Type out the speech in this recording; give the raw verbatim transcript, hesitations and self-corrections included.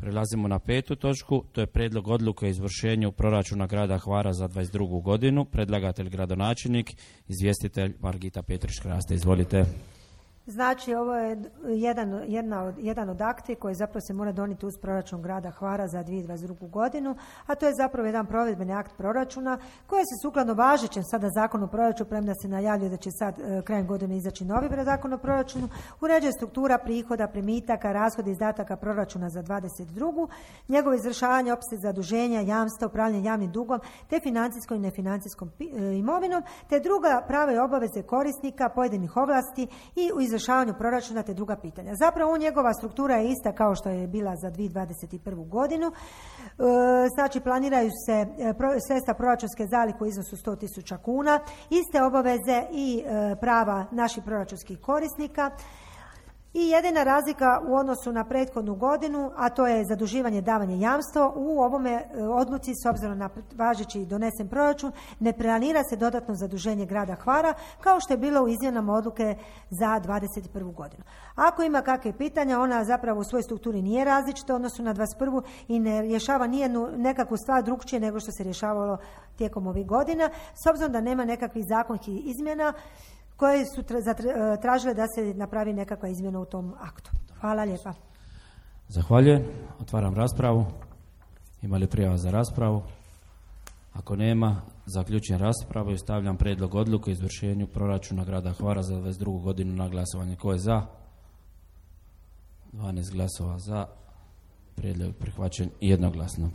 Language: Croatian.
Prelazimo na petu točku, to je prijedlog odluke o izvršenju proračuna grada Hvara za dvadeset drugu godinu. Predlagatelj gradonačelnik, izvjestitelj Margita Petrić-Kraste. Izvolite. Znači, ovo je jedan, jedna od, jedan od akti koji zapravo se mora donijeti uz proračun grada Hvara za dvije tisuće dvadeset drugu godinu, a to je zapravo jedan provedbeni akt proračuna koji se sukladno važećem sada zakonu o proračunu, premda se najavljuje da će sad e, krajem godine izaći novi zakon o proračunu, uređuje struktura prihoda, primitaka, rashoda i izdataka proračuna za dvadeset drugu, njegovo izvršavanje, opseg zaduženja, jamstva, upravljanje javnim dugom, te financijskom i nefinancijskom e, imovinom, te druga prava i obaveze korisnika pojedinih ovlasti i u izvršavanju proračuna te druga pitanja. Zapravo njegova struktura je ista kao što je bila za dvije tisuće dvadeset prvu godinu. E, znači planiraju se sredstva proračunske zalihe u iznosu sto tisuća kuna, iste obaveze i e, prava naših proračunskih korisnika. I jedina razlika u odnosu na prethodnu godinu, a to je zaduživanje, davanje jamstva, u ovome odluci s obzirom na važeći donesen proračun ne planira se dodatno zaduženje grada Hvara kao što je bilo u izmjenama odluke za dvadeset prvu godinu. Ako ima kakve pitanja, ona zapravo u svojoj strukturi nije različita u odnosu na dvadeset prvu i ne rješava nijednu nekakvu stvar drukčije nego što se rješavalo tijekom ovih godina, s obzirom da nema nekakvih zakonskih izmjena koje su tražile da se napravi nekakva izmjena u tom aktu. Hvala lijepa. Zahvaljujem. Otvaram raspravu. Ima li prijava za raspravu? Ako nema, zaključujem raspravu i stavljam prijedlog odluke o izvršenju proračuna grada Hvara za dvadeset drugu godinu na glasovanje. Ko je za? dvanaest glasova za. Prijedlog prihvaćen jednoglasno.